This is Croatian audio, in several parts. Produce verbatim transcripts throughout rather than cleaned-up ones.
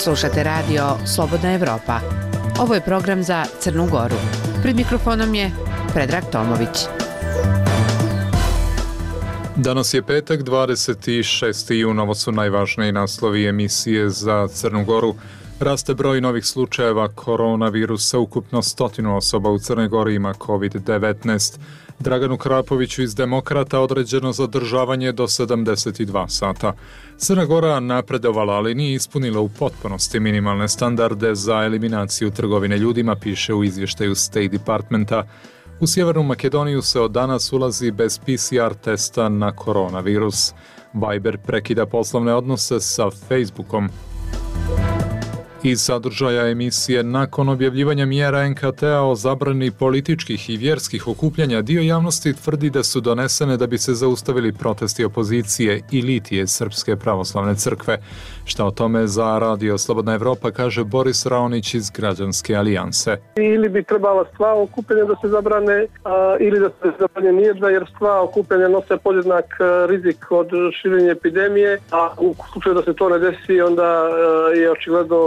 Slušate radio Slobodna Evropa. Ovo je program za Crnu Goru. Pred mikrofonom je Predrag Tomović. Danas je petak, dvadeset šesti jun. Ovo su najvažniji naslovi emisije za Crnu Goru. Raste broj novih slučajeva koronavirusa, ukupno stotinu osoba u Crnoj Gori ima kovid devetnaest. Draganu Krapoviću iz Demokrata određeno zadržavanje do sedamdeset dva sata. Crna Gora napredovala, ali nije ispunila u potpunosti minimalne standarde za eliminaciju trgovine ljudima, piše u izvještaju State Departmenta. U Sjevernu Makedoniju se od danas ulazi bez P C R testa na koronavirus. Viber prekida poslovne odnose sa Facebookom. Iz sadržaja emisije, nakon objavljivanja mjera N K T-a o zabrani političkih i vjerskih okupljanja, dio javnosti tvrdi da su donesene da bi se zaustavili protesti opozicije i litije Srpske pravoslavne crkve. Šta o tome za radio Slobodna Evropa kaže Boris Raonić iz Građanske alijanse. Ili bi trebala sva okupljanja da se zabrane, a, ili da se zabrane nijedna, jer sva okupljanja nose podjednak rizik od širenja epidemije, a u slučaju da se to ne desi, onda a, je očigledno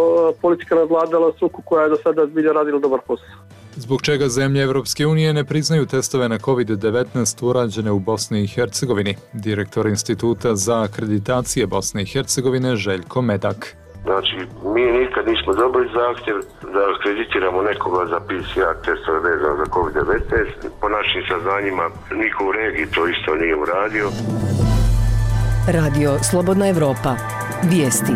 politika nadvladala struku koja je do sada zbilja radila dobar posao. Zbog čega zemlje Evropske unije ne priznaju testove na kovid devetnaest urađene u Bosni i Hercegovini? Direktor Instituta za akreditacije Bosne i Hercegovine Željko Medak. Znači, mi nikad nismo dobili zahtjev da akreditiramo nekoga za P C R testove vezano za kovid devetnaest. Po našim saznanjima niko u regiji to isto nije uradio. Radio Slobodna Evropa. Vijesti.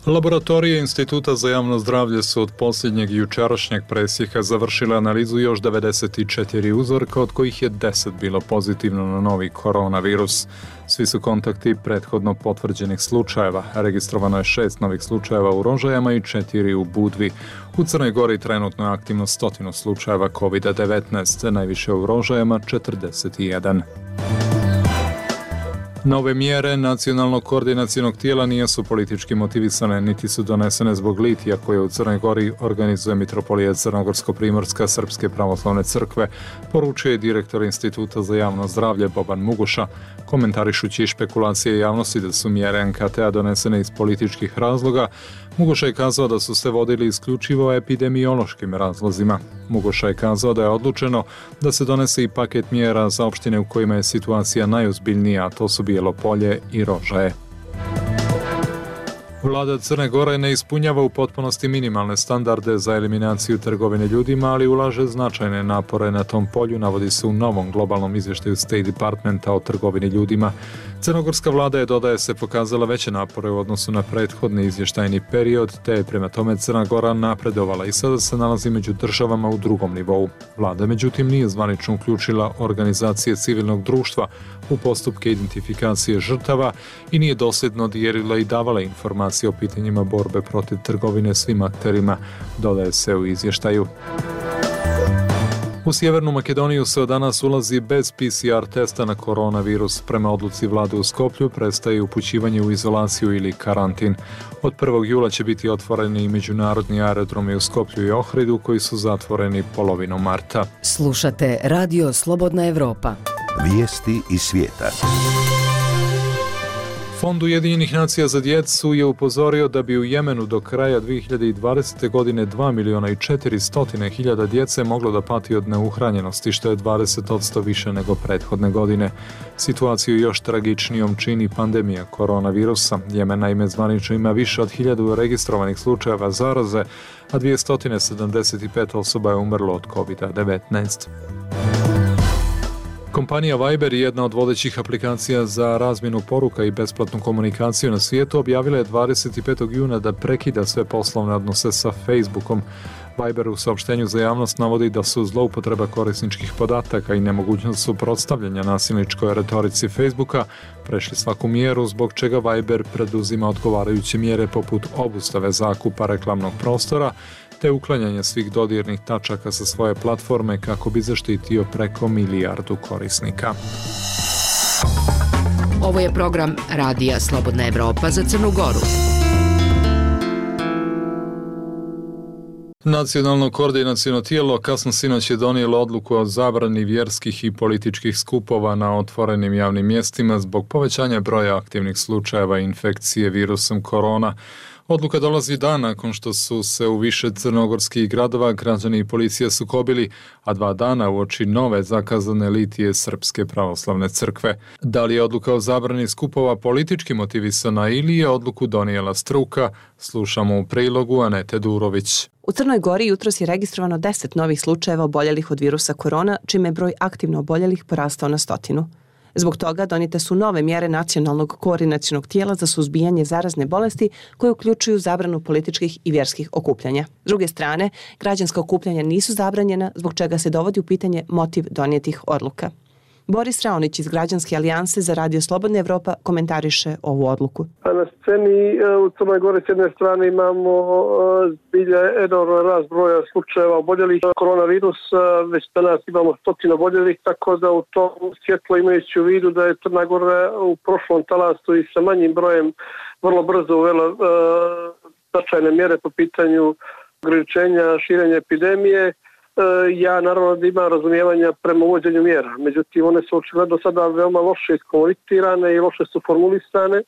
Laboratorije Instituta za javno zdravlje su od posljednjeg jučerašnjeg presjeka završile analizu još devedeset četiri uzorka, od kojih je deset bilo pozitivno na novi koronavirus. Svi su kontakti prethodno potvrđenih slučajeva. Registrovano je šest novih slučajeva u Rožajama i četiri u Budvi. U Crnoj Gori trenutno je aktivno stotinu slučajeva kovid devetnaest, najviše u Rožajama četrdeset jedan. Nove mjere nacionalnog koordinacionog tijela nisu politički motivisane, niti su donesene zbog litija koje u Crnoj Gori organizuje Mitropolija Crnogorsko-Primorska Srpske pravoslavne crkve, poručuje direktor Instituta za javno zdravlje Boban Muguša, komentarišući špekulacije javnosti da su mjere N K T-a donesene iz političkih razloga. Muguša je kazao da su se vodili isključivo epidemiološkim razlozima. Muguša je kazao da je odlučeno da se donese i paket mjera za opštine u kojima je situacija najozbiljnija, a to su Bijelo Polje i Rožaje. Vlada Crne Gore ne ispunjava u potpunosti minimalne standarde za eliminaciju trgovine ljudima, ali ulaže značajne napore na tom polju, navodi se u novom globalnom izvještaju State Departmenta o trgovini ljudima. Crnogorska vlada je, dodaje se, pokazala veće napore u odnosu na prethodni izvještajni period, te je prema tome Crna Gora napredovala i sada se nalazi među državama u drugom nivou. Vlada, međutim, nije zvanično uključila organizacije civilnog društva u postupke identifikacije žrtava i nije dosljedno dijelila i davala informacije o pitanjima borbe protiv trgovine svim akterima, dodaje se u izvještaju. U Sjevernu Makedoniju se od danas ulazi bez P C R testa na koronavirus. Prema odluci vlade u Skoplju prestaje upućivanje u izolaciju ili karantin. Od prvog jula će biti otvoreni i međunarodni aerodromi u Skoplju i Ohridu koji su zatvoreni polovinom marta. Slušate Radio Slobodna Evropa. Vijesti iz svijeta. Fond Ujedinjenih nacija za djecu je upozorio da bi u Jemenu do kraja dvije hiljade dvadesete. godine dva miliona i četiristo hiljada djece moglo da pati od neuhranjenosti, što je dvadeset posto više nego prethodne godine. Situaciju još tragičnijom čini pandemija koronavirusa. Jemen naime zvanično ima više od hiljadu registrovanih slučajeva zaraze, a dvjesto sedamdeset pet osoba je umrlo od kovid devetnaest. Kompanija Viber, jedna od vodećih aplikacija za razmjenu poruka i besplatnu komunikaciju na svijetu, objavila je dvadeset petog juna da prekida sve poslovne odnose sa Facebookom. Viber u saopštenju za javnost navodi da su zloupotreba korisničkih podataka i nemogućnost suprotstavljanja nasilničkoj retorici Facebooka prešli svaku mjeru, zbog čega Viber preduzima odgovarajuće mjere poput obustave zakupa reklamnog prostora te uklanjanje svih dodirnih tačaka sa svoje platforme kako bi zaštitio preko milijardu korisnika. Ovo je program Radija Slobodna Evropa za Crnu Goru. Nacionalno koordinaciono tijelo kasno sinoć je donijelo odluku o zabrani vjerskih i političkih skupova na otvorenim javnim mjestima zbog povećanja broja aktivnih slučajeva infekcije virusom korona. Odluka dolazi dan nakon što su se u više crnogorskih gradova građani i policija sukobili, a dva dana uoči nove zakazane litije Srpske pravoslavne crkve. Da li je odluka o zabrani skupova politički motivisana ili je odluku donijela struka, slušamo u prilogu Anete Durović. U Crnoj Gori jutros je registrovano deset novih slučajeva oboljelih od virusa korona, čime je broj aktivno oboljelih porastao na stotinu. Zbog toga donijete su nove mjere Nacionalnog koordinacionog tijela za suzbijanje zarazne bolesti koje uključuju zabranu političkih i vjerskih okupljanja. S druge strane, građanska okupljanja nisu zabranjena, zbog čega se dovodi u pitanje motiv donijetih odluka. Boris Raonić iz Građanske alijanse za Radio Slobodna Evropa komentariše ovu odluku. Na sceni u Crnoj Gori s jedne strane imamo zbilja enorman rast broja slučajeva oboljelih koronavirus, već danas imamo stotinu oboljelih, tako da u tom svjetlo imajući u vidu da je Crna Gora u prošlom talasu i sa manjim brojem vrlo brzo uvela uh, značajne mjere po pitanju ograničenja širenja epidemije. Ja naravno da imam razumijevanja prema uvođenju mjera, međutim one su očigledno sada veoma loše iskomunicirane i loše su formulisane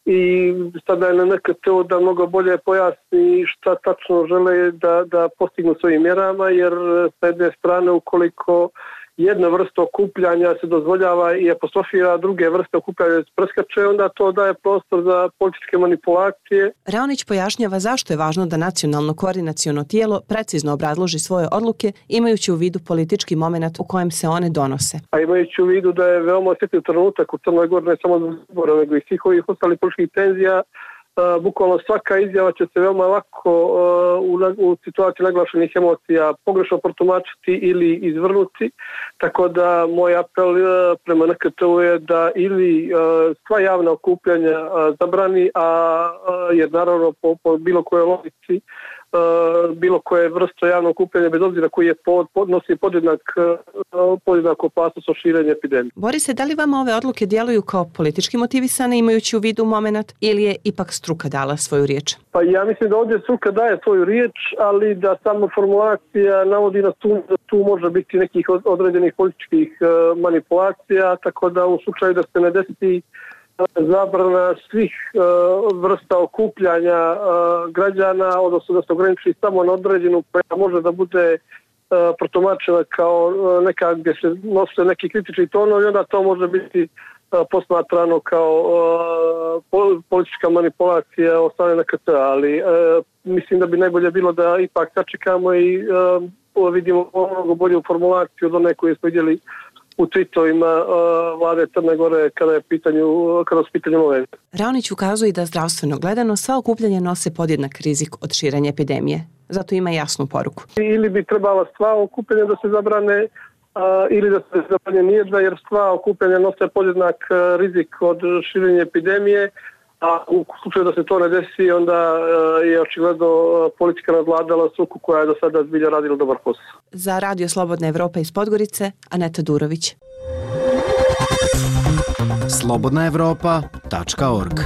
i sada je na neka teo da mnogo bolje pojasni šta tačno žele da, da postignu svojim mjerama, jer s jedne strane ukoliko jedna vrsta okupljanja se dozvoljava i apostrofira, druge vrste okupljanja se preskače, onda to daje prostor za političke manipulacije. Raonić pojašnjava zašto je važno da nacionalno koordinaciono tijelo precizno obrazloži svoje odluke, imajući u vidu politički moment u kojem se one donose. A imajući u vidu da je veoma osjetljiv trenutak u Crnoj Gori, ne samo za izbore, nego i svih ovih ostalih političkih tenzija, Uh, bukvalno svaka izjava će se veoma lako uh, u, u situaciji naglašenih emocija pogrešno protumačiti ili izvrnuti, tako da moj apel uh, prema N K T-u je da ili uh, sva javna okupljanja uh, zabrani, a uh, jer naravno po, po bilo kojoj logici Uh, bilo koje vrsto javnog okupljanja, bez obzira koji je pod, podnosi podjednak, uh, podjednak opasnost od širenja epidemije. Borise, da li vama ove odluke djeluju kao politički motivisane, imajući u vidu moment, ili je ipak struka dala svoju riječ? Pa ja mislim da ovdje struka daje svoju riječ, ali da samo formulacija navodi na tu, da tu može biti nekih određenih političkih uh, manipulacija, tako da u slučaju da se ne desi zabrana svih uh, vrsta okupljanja uh, građana, odnosno da se ograniči samo na određenu koja može da bude uh, protumačena kao uh, neka gdje se nose neki kritični tonovi, onda to može biti uh, posmatrano kao uh, politička manipulacija od strane N K T-a, ali uh, mislim da bi najbolje bilo da ipak sačekamo i uh, vidimo mnogo bolju formulaciju od one koje smo vidjeli u tweetovima uh, vlade Crne Gore kada je pitanju, kada su pitanju ove. Raonić ukazuje da zdravstveno gledano sva okupljanja nose podjednak rizik od širenja epidemije. Zato ima jasnu poruku. Ili bi trebala sva okupljanja da se zabrane uh, ili da se zabrane nijedna, jer sva okupljanja nose podjednak uh, rizik od širenja epidemije, a u slučaju da se to ne desi, onda uh, je očigledno uh, politika nadvladala struku koja je do sada zbilja radila dobar posao. Za Radio Slobodna Evropa iz Podgorice, Aneta Durović. slobodna evropa tačka org.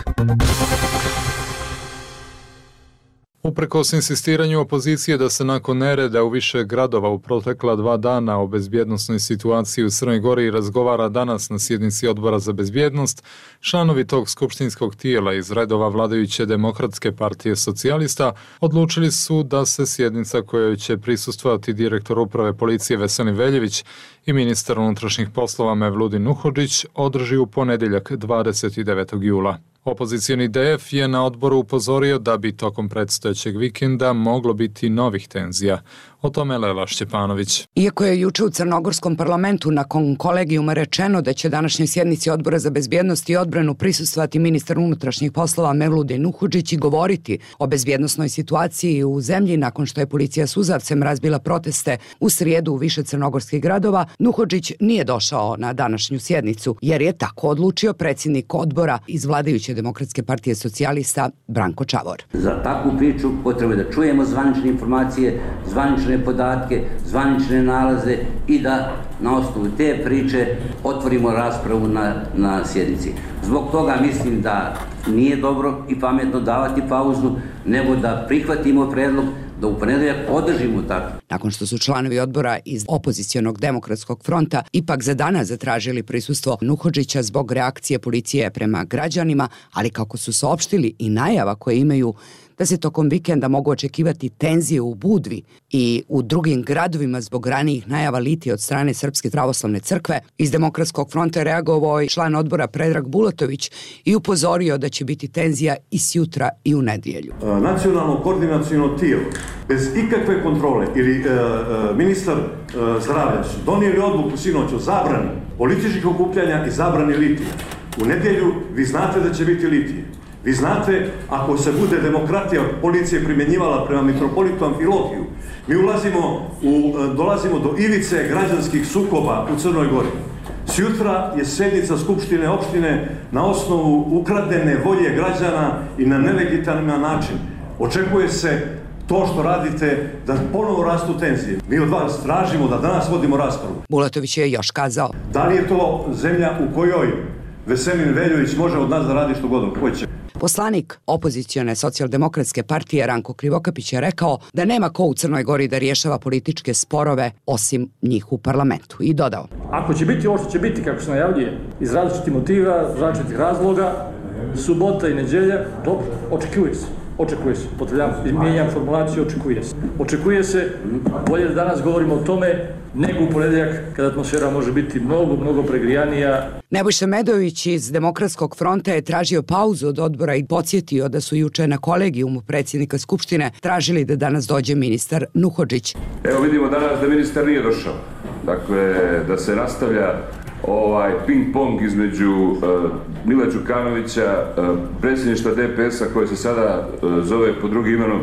Uprkos insistiranju opozicije da se nakon nereda u više gradova u protekla dva dana o bezbjednosnoj situaciji u Crnoj Gori razgovara danas na sjednici Odbora za bezbjednost, članovi tog skupštinskog tijela iz redova vladajuće Demokratske partije socijalista odlučili su da se sjednica kojoj će prisustvovati direktor uprave policije Veselin Veljević i ministar unutrašnjih poslova Mevludin Nuhodžić održi u ponedjeljak dvadeset devetog jula. Opozicioni D F je na odboru upozorio da bi tokom predstojećeg vikenda moglo biti novih tenzija. O tome Lela Šćepanović. Iako je juče u Crnogorskom parlamentu nakon kolegijuma rečeno da će današnjoj sjednici Odbora za bezbjednost i odbranu prisustvovati ministar unutrašnjih poslova Mevludin Nuhodžić i govoriti o bezbjednosnoj situaciji u zemlji nakon što je policija suzavcem razbila proteste u srijedu u više crnogorskih gradova, Nuhodžić nije došao na današnju sjednicu, jer je tako odlučio predsjednik odbora iz vladajuće Demokratske partije socijalista Branko Čavor. Za takvu priču potrebno je da čujemo zvanične informacije, zvanične podatke, zvanične nalaze i da na osnovu te priče otvorimo raspravu na, na sjednici. Zbog toga mislim da nije dobro i pametno davati pauzu, nego da prihvatimo predlog da u ponedeljak podržimo tako. Nakon što su članovi odbora iz opozicionog demokratskog fronta ipak za danas zatražili prisustvo Nuhodžića zbog reakcije policije prema građanima, ali kako su saopštili i najava koje imaju da se tokom vikenda mogu očekivati tenzije u Budvi i u drugim gradovima zbog ranijih najava litije od strane Srpske pravoslavne crkve, iz Demokratskog fronta je reagovao i član odbora Predrag Bulatović i upozorio da će biti tenzija i sjutra i u nedjelju. Nacionalno koordinaciono tijelo bez ikakve kontrole ili e, e, ministar e, zdravlja su donijeli odluku sinoć o zabrani političkih okupljanja i zabrani litija. U nedjelju vi znate da će biti litije. Vi znate, ako se bude demokratija policije primjenjivala prema mitropolitu Amfilogiju, mi ulazimo u, dolazimo do ivice građanskih sukoba u Crnoj Gori. Sjutra je sjednica Skupštine opštine na osnovu ukradene volje građana i na nelegitiman način. Očekuje se to što radite da ponovo rastu tenzije. Mi od vas tražimo da danas vodimo raspravu. Bulatović je još kazao. Da li je to zemlja u kojoj Veselin Veljović može od nas da radi što god hoće? Poslanik opozicione socijaldemokratske partije Ranko Krivokapić je rekao da nema ko u Crnoj Gori da rješava političke sporove osim njih u parlamentu i dodao. Ako će biti ovo što će biti, kako se najavljuje, iz različitih motiva, različitih razloga, subota i nedjelja, dobro, očekuje se. Očekuje se, potrebljam, mijenjam formulaciju, očekuje se. Očekuje se, bolje da danas govorimo o tome, nego u ponedjeljak kada atmosfera može biti mnogo, mnogo pregrijanija. Nebojša Medović iz Demokratskog fronta je tražio pauzu od odbora i podsjetio da su juče na kolegijumu predsjednika Skupštine tražili da danas dođe ministar Nuhodžić. Evo vidimo danas da ministar nije došao. Dakle, da se nastavlja ovaj ping-pong između uh, Mila Đukanovića, uh, predsjedništva D P S-a koje se sada uh, zove pod drugim imenom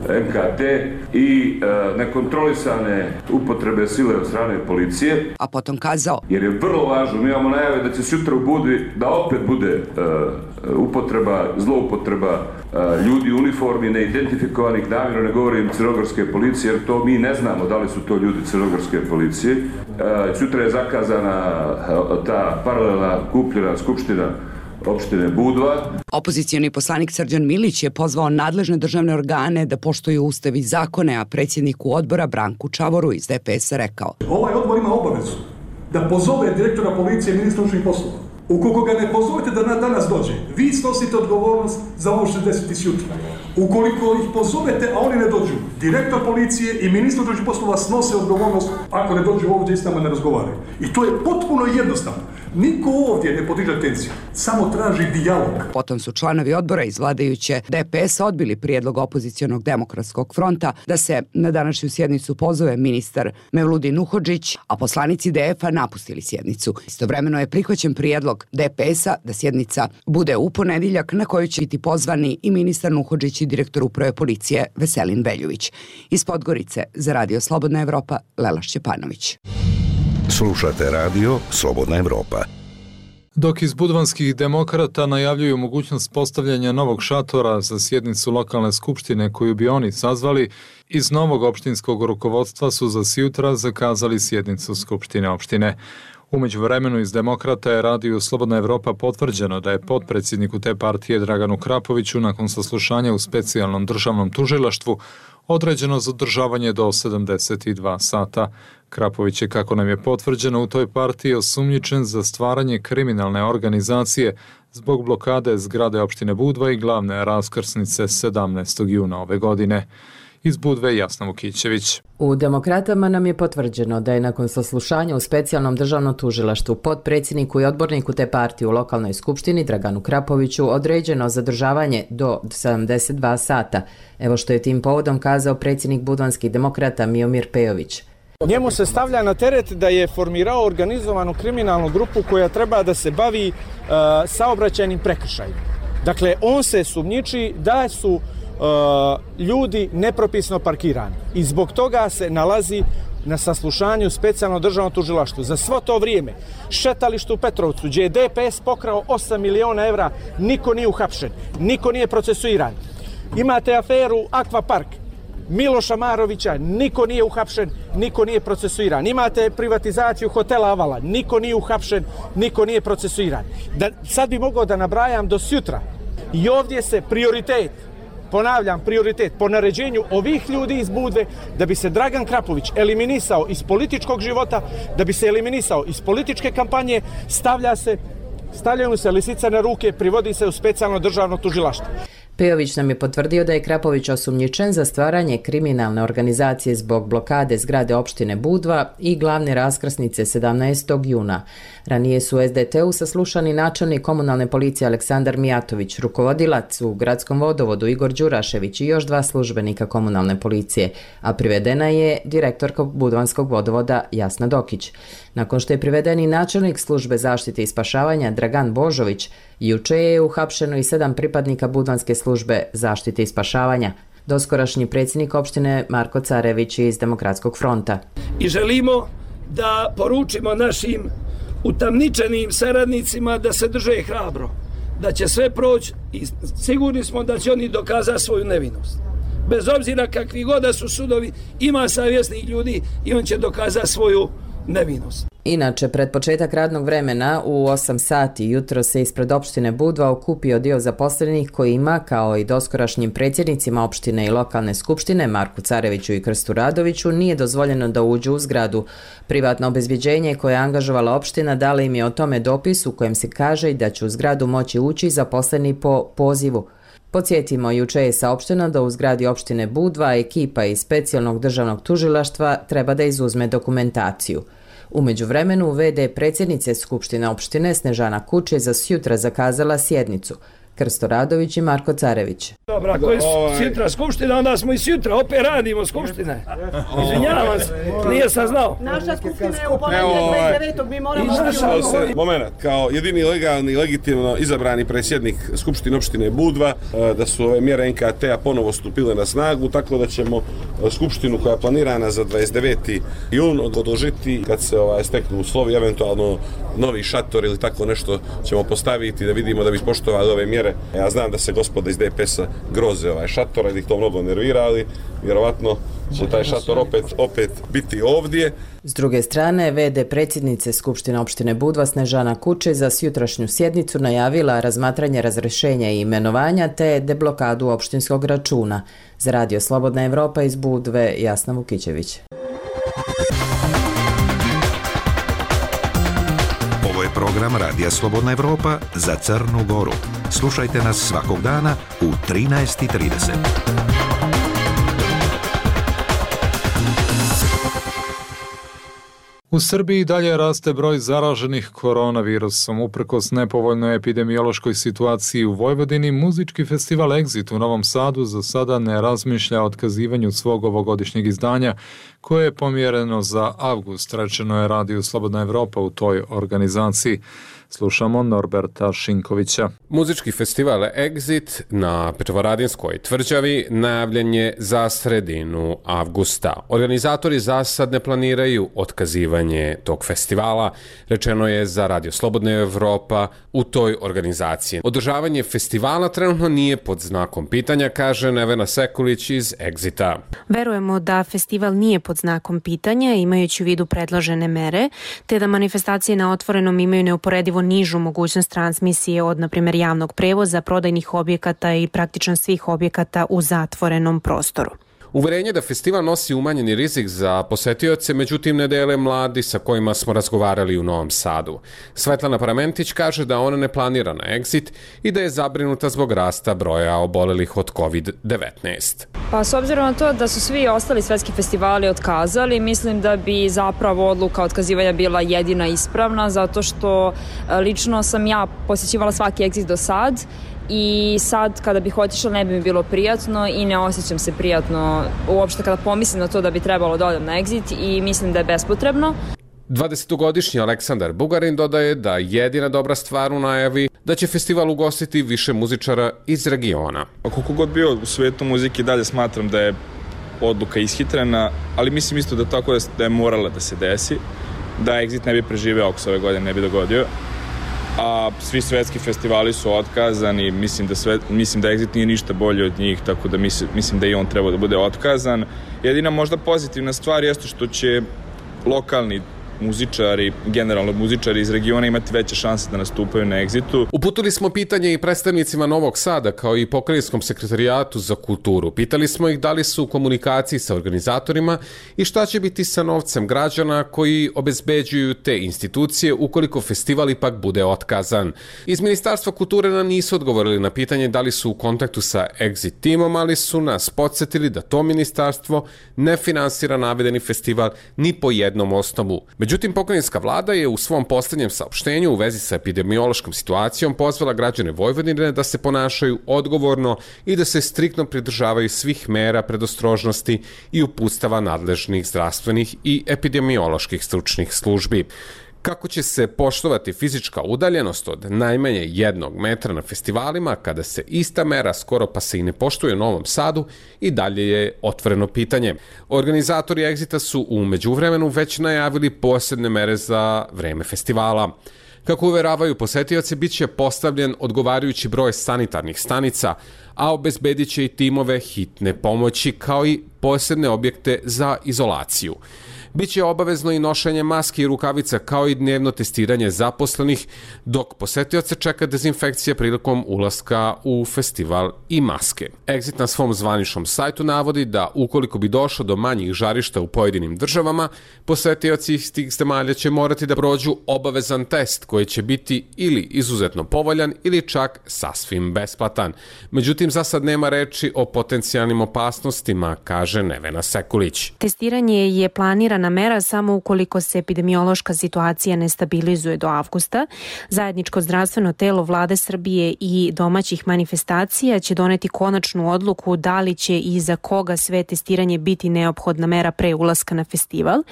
M K T i uh, nekontrolisane upotrebe sile od strane policije. A potom kazao. Jer je vrlo važno, mi imamo najave da će sutra u Budvi da opet bude uh, upotreba, zloupotreba uh, ljudi u uniformi, neidentifikovanih, namjerno ne govorim crnogorske policije, jer to mi ne znamo da li su to ljudi crnogorske policije. Uh, sutra je zakazana uh, ta paralelna kupljena skupština opštine Budva. Opozicioni poslanik Srđan Milić je pozvao nadležne državne organe da poštuju ustav i zakone, a predsjedniku odbora Branku Čavoru iz D P S-a rekao. Ovaj odbor ima obavezu da pozove direktora policije i ministra unutrašnjih poslova. Ukoliko ga ne pozovete da na danas dođe, vi snosite odgovornost za ovo što se desiti sjutra. Ukoliko ih pozovete, a oni ne dođu, direktor policije i ministar unutrašnjih poslova snose odgovornost ako ne dođu ovdje i s nama ne razgovaraju. I to je potpuno jednostavno. Niko ovdje ne podiže tenziju, samo traži dijalog. Potom su članovi odbora iz vladajuće D P S odbili prijedlog opozicionog demokratskog fronta da se na današnju sjednicu pozove ministar Mevludin Nuhodžić, a poslanici D F-a napustili sjednicu. Istovremeno je prihvaćen prijedlog D P S-a da sjednica bude u ponedjeljak na kojoj će biti pozvani i ministar Nuhodžić i direktor uprave policije Veselin Veljović. Iz Podgorice za Radio Slobodna Evropa, Lela Šćepanović. Slušate radio Slobodna Evropa. Dok iz budvanskih demokrata najavljuju mogućnost postavljanja novog šatora za sjednicu lokalne skupštine koju bi oni sazvali, iz novog opštinskog rukovodstva su za sjutra zakazali sjednicu skupštine opštine. U međuvremenu iz demokrata je Radio Slobodna Evropa potvrđeno da je potpredsjedniku te partije Draganu Krapoviću nakon saslušanja u specijalnom državnom tužilaštvu određeno zadržavanje do sedamdeset dva sata. Krapović je, kako nam je potvrđeno, u toj partiji osumnjičen za stvaranje kriminalne organizacije zbog blokade zgrade opštine Budva i glavne raskrsnice sedamnaestog juna ove godine. Iz Budve Jasna Vukićević. U Demokratama nam je potvrđeno da je nakon saslušanja u specijalnom državnom tužilaštvu potpredsjedniku i odborniku te partije u lokalnoj skupštini Draganu Krapoviću određeno zadržavanje do sedamdeset dva sata. Evo što je tim povodom kazao predsjednik budvanskih demokrata Miomir Pejović. Njemu se stavlja na teret da je formirao organizovanu kriminalnu grupu koja treba da se bavi uh, saobraćajnim prekršajima. Dakle, on se sumnjiči da su uh, ljudi nepropisno parkirani i zbog toga se nalazi na saslušanju specijalno državno tužilaštvo. Za svo to vrijeme šetalište u Petrovcu, gdje je D P S pokrao osam miliona evra, niko nije uhapšen, niko nije procesuiran. Imate aferu Akvapark Miloša Marovića, niko nije uhapšen, niko nije procesuiran. Imate privatizaciju hotela Avala, niko nije uhapšen, niko nije procesuiran. Da, sad bi mogao da nabrajam do sutra. I ovdje se prioritet ponavljam, prioritet po naređenju ovih ljudi iz Budve, da bi se Dragan Krapović eliminisao iz političkog života, da bi se eliminisao iz političke kampanje, stavlja se, stavljaju se lisica na ruke, privodi se u specijalno državno tužilaštvo. Pejović nam je potvrdio da je Krapović osumnjičen za stvaranje kriminalne organizacije zbog blokade zgrade opštine Budva i glavne raskrsnice sedamnaestog juna. Ranije su u es de te u saslušani načelnik komunalne policije Aleksandar Mijatović, rukovodilac u gradskom vodovodu Igor Đurašević i još dva službenika komunalne policije, a privedena je direktorka Budvanskog vodovoda Jasna Dokić. Nakon što je privedeni načelnik službe zaštite i spašavanja Dragan Božović, juče je uhapšeno i sedam pripadnika Budvanske službe zaštite i spašavanja. Doskorašnji predsjednik opštine Marko Carević iz Demokratskog fronta. I želimo da poručimo našim utamničenim saradnicima da se drže hrabro, da će sve proći i sigurni smo da će oni dokazati svoju nevinost. Bez obzira kakvi god da su sudovi, ima savjesnih ljudi i on će dokazati svoju nevinost. Inače, pred početak radnog vremena u osam sati jutro se ispred opštine Budva okupio dio zaposlenih koji ima, kao i doskorašnjim predsjednicima opštine i lokalne skupštine Marku Careviću i Krstu Radoviću, nije dozvoljeno da uđu u zgradu. Privatno obezbjeđenje koje je angažovala opština dala im je o tome dopis u kojem se kaže da će u zgradu moći ući zaposleni po pozivu. Podsjetimo, juče je saopšteno da u zgradi opštine Budva ekipa iz specijalnog državnog tužilaštva treba da izuzme dokumentaciju. U međuvremenu, ve de predsjednice Skupštine opštine Snežana Kuč je za sjutra zakazala sjednicu. Krsto Radović i Marko Carević. Dobro, ako je sjutra skupština, onda smo i sjutra, opet radimo skupštine. Izvinjavam se, nije sam znao. Naša skupština je u ponedjeljak dvadeset devetog mi moramo... Moment, kao jedini legalni, legitimno izabrani predsjednik Skupštine opštine Budva, da su ove mjere en ka te a ponovo stupile na snagu, tako da ćemo skupštinu koja je planirana za dvadeset deveti jun odložiti kad se ovaj, steknu uslovi, eventualno novi šator ili tako nešto ćemo postaviti da vidimo da bi poštovali ove mjere. Ja znam da se gospoda iz de pe es-a groze ovaj šator, da ih to mnogo nervira, ali vjerovatno će taj šator opet, opet biti ovdje. S druge strane, ve de predsjednice Skupštine opštine Budva Snežana Kuče za sjutrašnju sjednicu najavila razmatranje razrešenja i imenovanja te deblokadu opštinskog računa. Za Radio Slobodna Evropa iz Budve, Jasna Vukićević. Ovo je program Radija Slobodna Evropa za Crnu Goru. Slušajte nas svakog dana u trinaest i trideset. U Srbiji dalje raste broj zaraženih koronavirusom. Uprkos nepovoljnoj epidemiološkoj situaciji u Vojvodini, muzički festival Exit u Novom Sadu za sada ne razmišlja o otkazivanju svog ovogodišnjeg izdanja, koje je pomjereno za avgust, rečeno je Radio Slobodna Evropa u toj organizaciji. Slušamo Norberta Šinkovića. Muzički festival Exit na Petrovaradinskoj tvrđavi najavljen je za sredinu avgusta. Organizatori za sad ne planiraju otkazivanje tog festivala, rečeno je za Radio Slobodna Evropa u toj organizaciji. Održavanje festivala trenutno nije pod znakom pitanja, kaže Nevena Sekulić iz Exita. Verujemo da festival nije pod znakom pitanja, imajući u vidu predložene mere, te da manifestacije na otvorenom imaju neuporedivo nižu mogućnost transmisije od, na primjer, javnog prevoza, prodajnih objekata i praktično svih objekata u zatvorenom prostoru. Uverenje da festival nosi umanjeni rizik za posetioce, međutim ne dele mladi sa kojima smo razgovarali u Novom Sadu. Svetlana Paramentić kaže da ona ne planira na Exit i da je zabrinuta zbog rasta broja obolelih od kovid devetnaest. Pa s obzirom na to da su svi ostali svetski festivali otkazali, mislim da bi zapravo odluka otkazivanja bila jedina ispravna, zato što lično sam ja posjećivala svaki Exit do sad i sad kada bih otišla ne bi mi bilo prijatno i ne osjećam se prijatno uopšte kada pomislim na to da bi trebalo da odem na Exit i mislim da je bespotrebno. dvadesetogodišnji Aleksandar Bugarin dodaje da jedina dobra stvar u najavi da će festival ugostiti više muzičara iz regiona. Koliko god bio u svijetu muzike, dalje smatram da je odluka ishitrena, ali mislim isto da tako da je morala da se desi, da Exit ne bi preživeo ako se ove godine ne bi dogodio. A svi svetski festivali su otkazani, mislim da, sve, mislim da Exit nije ništa bolje od njih, tako da mislim, mislim da i on treba da bude otkazan. Jedina možda pozitivna stvar jeste što će lokalni muzičari, generalno muzičari iz regiona imati veće šanse da nastupaju na Exitu. Uputili smo pitanje i predstavnicima Novog Sada kao i Pokrajinskom sekretarijatu za kulturu. Pitali smo ih da li su u komunikaciji sa organizatorima i šta će biti sa novcem građana koji obezbeđuju te institucije ukoliko festival ipak bude otkazan. Iz Ministarstva kulture nam nisu odgovorili na pitanje da li su u kontaktu sa Exit timom, ali su nas podsjetili da to ministarstvo ne finansira navedeni festival ni po jednom osnovu. Međutim, pokrajinska vlada je u svom posljednjem saopštenju u vezi sa epidemiološkom situacijom pozvala građane Vojvodine da se ponašaju odgovorno i da se striktno pridržavaju svih mera predostrožnosti i uputstava nadležnih zdravstvenih i epidemioloških stručnih službi. Kako će se poštovati fizička udaljenost od najmanje jednog metra na festivalima kada se ista mera skoro pa se i ne poštuje u Novom Sadu i dalje je otvoreno pitanje. Organizatori Exita su u međuvremenu već najavili posebne mere za vreme festivala. Kako uveravaju posetioci, bit će postavljen odgovarajući broj sanitarnih stanica, a obezbedit će i timove hitne pomoći kao i posebne objekte za izolaciju. Biće obavezno i nošenje maske i rukavica kao i dnevno testiranje zaposlenih, dok posetioce čeka dezinfekcija prilikom ulaska u festival i maske. Exit na svom zvaničnom sajtu navodi da ukoliko bi došlo do manjih žarišta u pojedinim državama, posetioci iz tih zemalja će morati da prođu obavezan test koji će biti ili izuzetno povoljan ili čak sasvim besplatan. Međutim, za sad nema reči o potencijalnim opasnostima, kaže Nevena Sekulić. Testiranje je planirano na mera samo ukoliko se epidemiološka situacija ne stabilizuje do avgusta. Zajedničko zdravstveno telo Vlade Srbije i domaćih manifestacija će doneti konačnu odluku da li će i za koga sve testiranje biti neophodna mera pre ulaska na festival.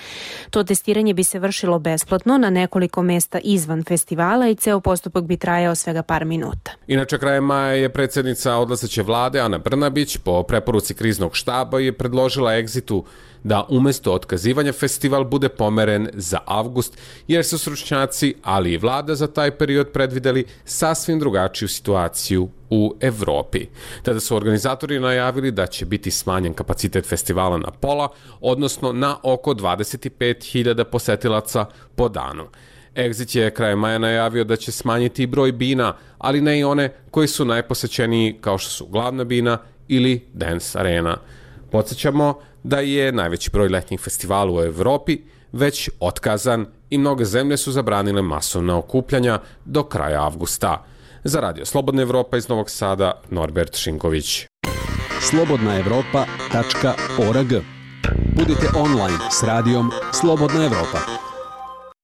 To testiranje bi se vršilo besplatno na nekoliko mesta izvan festivala i ceo postupak bi trajao svega par minuta. Inače, krajem maja je predsjednica odlazeće vlade Ana Brnabić po preporuci kriznog štaba je predložila Exitu da umjesto otkazivanja festival bude pomeren za avgust, jer su stručnjaci, ali i vlada za taj period predvideli sasvim drugačiju situaciju u Evropi. Tada su organizatori najavili da će biti smanjen kapacitet festivala na pola, odnosno na oko dvadeset pet hiljada posetilaca po danu. Exit je krajem maja najavio da će smanjiti i broj bina, ali ne i one koji su najposećeniji kao što su Glavna bina ili Dance Arena. Podsjećamo da je najveći broj letnjih festivala u Evropi već otkazan i mnoge zemlje su zabranile masovna okupljanja do kraja avgusta. Za Radio Slobodna Evropa iz Novog Sada, Norbert Šinković. slobodna evropa tačka org. Budite online s radijom Slobodna Evropa.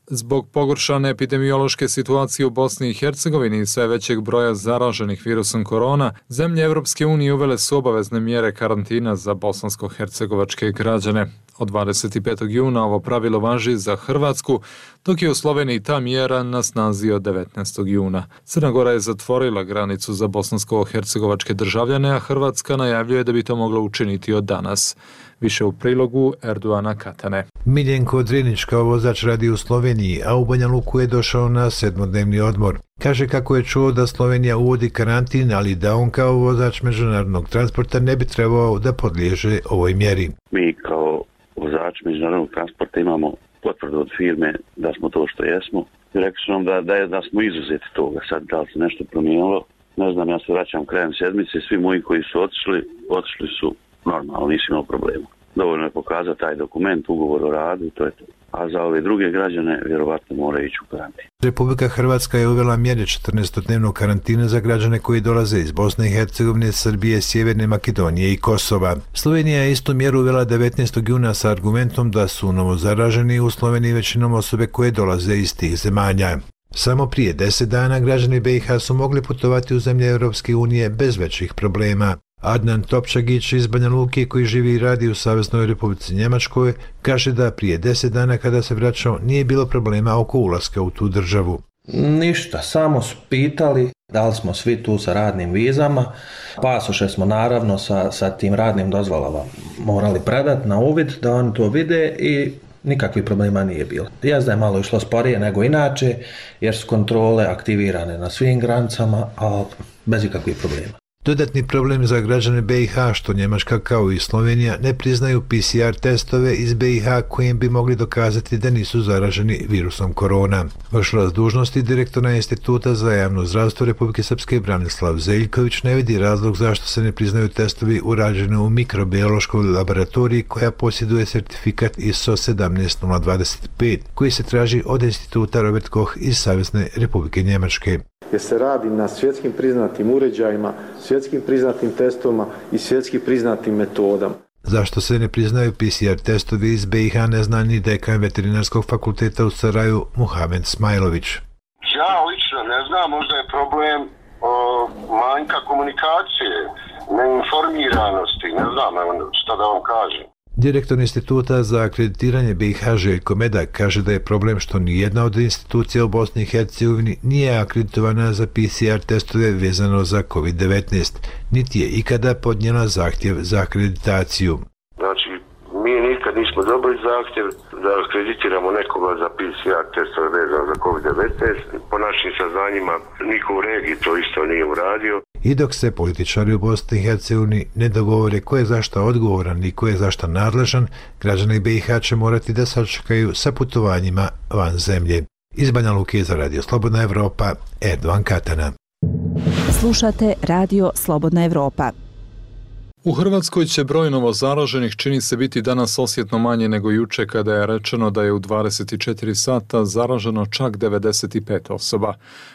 Zbog pogoršane epidemiološke situacije u Bosni i Hercegovini i sve većeg broja zaraženih virusom korona, zemlje Evropske unije uvele su obavezne mjere karantina za bosansko-hercegovačke građane. Od dvadeset petog juna ovo pravilo važi za Hrvatsku, dok je u Sloveniji ta mjera na snazi od devetnaestog juna. Crna Gora je zatvorila granicu za bosansko-hercegovačke državljane, a Hrvatska najavljuje da bi to mogla učiniti od danas. Više u prilogu Erdoana Katane. Miljenko Drinić kao vozač radi u Sloveniji, a u Banja Luku je došao na sedmodnevni odmor. Kaže kako je čuo da Slovenija uvodi karantin, ali da on kao vozač međunarodnog transporta ne bi trebao da podliježe ovoj mjeri. Mi kao vozač međunarodnog transporta imamo potvrdu od firme da smo to što jesmo. Rekli su nam da, da, je, da smo izuzeti toga. Sad da li se nešto promijenilo, ne znam, ja se vraćam krajem sedmice, svi moji koji su otišli, otišli su normalno, nisi imao problema. Dovoljno je pokazati taj dokument, ugovor o radu, to je to. A za ove druge građane vjerovatno moraju ići u karantin. Republika Hrvatska je uvela mjere četrnaestodnevnog karantina za građane koji dolaze iz Bosne i Hercegovine, Srbije, Sjeverne Makedonije i Kosova. Slovenija je istu mjeru uvela devetnaestog juna sa argumentom da su novozaraženi u Sloveniji većinom osobe koje dolaze iz tih zemalja. Samo prije deset dana građani B i H su mogli putovati u zemlje Europske unije bez većih problema. Adnan Topčagić iz Banja Luke, koji živi i radi u Saveznoj Republici Njemačkoj, kaže da prije deset dana kada se vraćao nije bilo problema oko ulaska u tu državu. Ništa, samo su pitali da li smo svi tu sa radnim vizama. Pasoše smo naravno sa, sa tim radnim dozvolama morali predati na uvid da oni to vide i nikakvih problema nije bilo. Jazda je malo išlo sporije nego inače jer su kontrole aktivirane na svim granicama, a bez ikakvih problema. Dodatni problem za građane B i H što Njemačka kao i Slovenija ne priznaju P C R testove iz B i H kojim bi mogli dokazati da nisu zaraženi virusom korona. Vršilac dužnosti direktora Instituta za javno zdravstvo Republike Srpske Branislav Zeljković ne vidi razlog zašto se ne priznaju testovi urađeni u mikrobiološkoj laboratoriji koja posjeduje sertifikat I S O sedamnaest nula dvadeset pet koji se traži od Instituta Robert Koch iz Savezne Republike Njemačke. Jer se radi na svjetskim priznatim uređajima, svjetskim priznatim testovima i svjetski priznatim metodama. Zašto se ne priznaju P C R testovi iz B i H ne zna ni dekan veterinarskog fakulteta u Saraju Muhamed Smajlović. Ja lično ne znam, možda je problem o, manjka komunikacije, neinformiranosti, ne znam šta da vam kažem. Direktor Instituta za akreditiranje B i H Željko Medak kaže da je problem što nijedna od institucija u Bosni i Hercegovini nije akreditovana za P C R testove vezano za COVID devetnaest, niti je ikada podnijela zahtjev za akreditaciju. Znači, mi nikad nismo dobili zahtjev da akreditiramo nekoga za P C R testove vezano za COVID devetnaest. Po našim saznanjima niko u regiji to isto nije uradio. I dok se političari u Bosni i Hercegovini ne dogovore ko je zašta odgovoran i ko je zašta nadležan, građani B i H će morati da sačekaju sa putovanjima van zemlje. Iz Banja Luke za Radio Slobodna Evropa, Erdovan Katana. Slušate Radio Slobodna Evropa. U Hrvatskoj će broj novozaraženih čini se biti danas osjetno manje nego juče kada je rečeno da je u dvadeset četiri sata zaraženo čak devedeset pet osoba.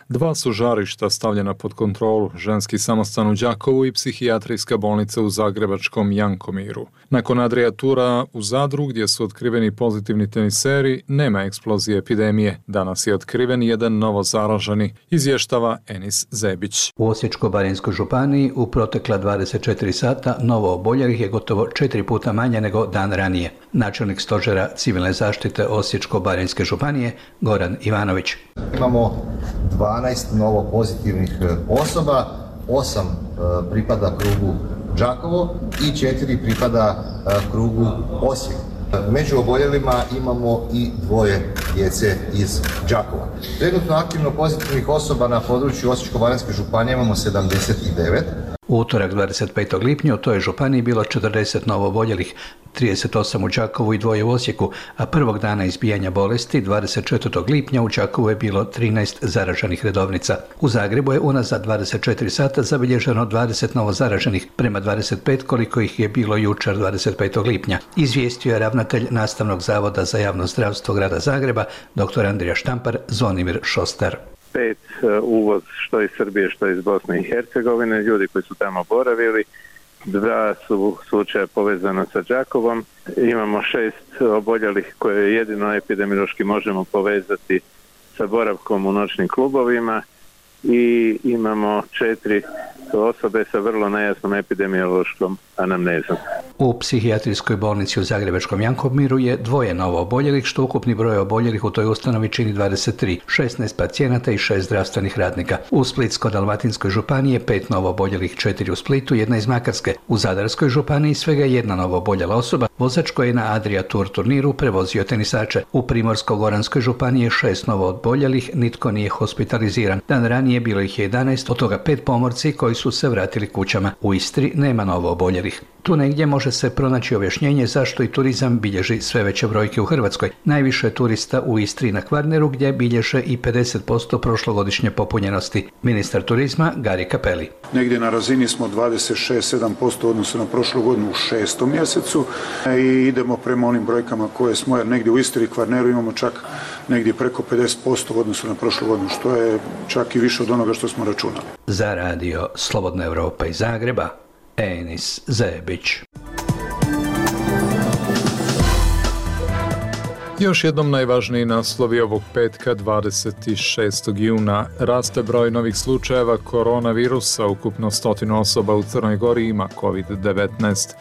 Dva su žarišta stavljena pod kontrolu, ženski samostan u Đakovu i psihijatrijska bolnica u zagrebačkom Jankomiru. Nakon Adria Tura u Zadru gdje su otkriveni pozitivni teniseri, nema eksplozije epidemije. Danas je otkriven jedan novozaraženi, izvještava Enis Zebić. U Osječko-baranjskoj županiji u protekla dvadeset četiri sata novo oboljelih je gotovo četiri puta manje nego dan ranije. Načelnik stožera civilne zaštite Osječko-baranjske županije Goran Ivanović. Imamo dvanaest novo pozitivnih osoba, osam pripada krugu Đakovo i četiri pripada krugu Osijek. Među oboljelima imamo i dvoje djece iz Đakova. Trenutno aktivno pozitivnih osoba na području Osječko-baranjske županije imamo sedamdeset devet. U utorak dvadeset petog lipnja u toj županiji bilo četrdeset novooboljelih, trideset osam u Đakovu i dvoje u Osijeku, a prvog dana izbijanja bolesti dvadeset četvrtog lipnja u Đakovu je bilo trinaest zaraženih redovnica. U Zagrebu je unazad dvadeset četiri sata zabilježeno dvadeset novozaraženih, prema dvadeset pet koliko ih je bilo jučer dvadeset petog lipnja. Izvijestio je ravnatelj Nastavnog zavoda za javno zdravstvo grada Zagreba, dr. Andrija Štampar, Zvonimir Šostar. Pet uvoz što iz Srbije, što iz Bosne i Hercegovine, ljudi koji su tamo boravili, dva su slučaja povezana sa Đakovom, imamo šest oboljelih koje jedino epidemiološki možemo povezati sa boravkom u noćnim klubovima i imamo četiri osobe sa vrlo nejasnom epidemiološkom anamnezom. U psihijatrijskoj bolnici u zagrebačkom Jankomiru je dvoje novo oboljelih, što ukupni broj oboljelih u toj ustanovi čini dvadeset tri, šesnaest pacijenata i šest zdravstvenih radnika. U Splitsko-dalmatinskoj županiji je pet novo oboljelih, četiri u Splitu, jedna iz Makarske. U Zadarskoj županiji svega jedna novo oboljela osoba, vozač koji je na Adria Tour turniru prevozio tenisače. U Primorsko-goranskoj županiji je šest novo oboljelih, nitko nije hospitaliziran. Dan ranije bilo ih je jedanaest, od toga pet pomorci koji su se vratili kućama. U Istri nema novo oboljelih. Tu negdje može se pronaći objašnjenje zašto i turizam bilježi sve veće brojke u Hrvatskoj. Najviše turista u Istri na Kvarneru gdje bilježe i pedeset posto prošlogodišnje popunjenosti. Ministar turizma Gari Cappelli. Negdje na razini smo dvadeset šest zarez sedam posto odnosu na prošlu godinu u šestom mjesecu i idemo prema onim brojkama koje smo, jer negdje u Istri i Kvarneru imamo čak negdje preko pedeset posto u odnosu na prošlu godinu, što je čak i više od onoga što smo računali. Za radio Slobodna Evropa iz Zagreba, Enis Zebić. Još jednom najvažniji naslovi ovog petka dvadeset šestog juna. Raste broj novih slučajeva koronavirusa, ukupno stotinu osoba u Crnoj Gori ima COVID devetnaest.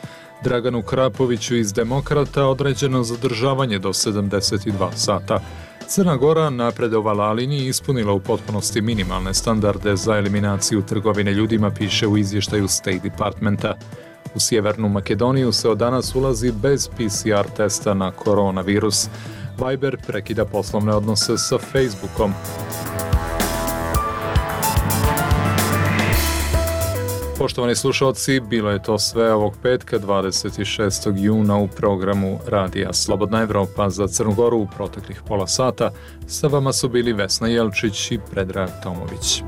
Draganu Krapoviću iz Demokrata određeno zadržavanje do sedamdeset dva sata. Crna Gora napredovala, ali nije ispunila u potpunosti minimalne standarde za eliminaciju trgovine ljudima, piše u izvještaju State Departmenta. U Sjevernu Makedoniju se od danas ulazi bez P C R testa na koronavirus. Viber prekida poslovne odnose sa Facebookom. Poštovani slušalci, bilo je to sve ovog petka dvadeset šestog juna u programu Radija Slobodna Evropa za Crnu Goru u proteklih pola sata. Sa vama su bili Vesna Jelčić i Predrag Tomović.